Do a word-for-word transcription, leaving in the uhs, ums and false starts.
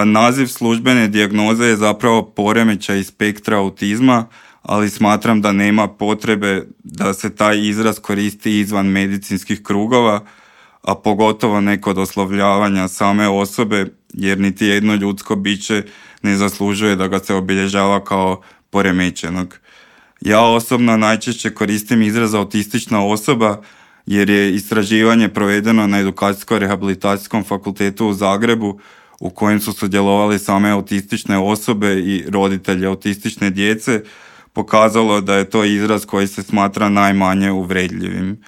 Naziv službene dijagnoze je zapravo poremećaj spektra autizma, ali smatram da nema potrebe da se taj izraz koristi izvan medicinskih krugova, a pogotovo ne kod oslovljavanja same osobe, jer niti jedno ljudsko biće ne zaslužuje da ga se obilježava kao poremećenog. Ja osobno najčešće koristim izraz autistična osoba, jer je istraživanje provedeno na Edukacijsko-rehabilitacijskom fakultetu u Zagrebu, u kojem su sudjelovali same autistične osobe i roditelji autistične djece, pokazalo da je to izraz koji se smatra najmanje uvredljivim.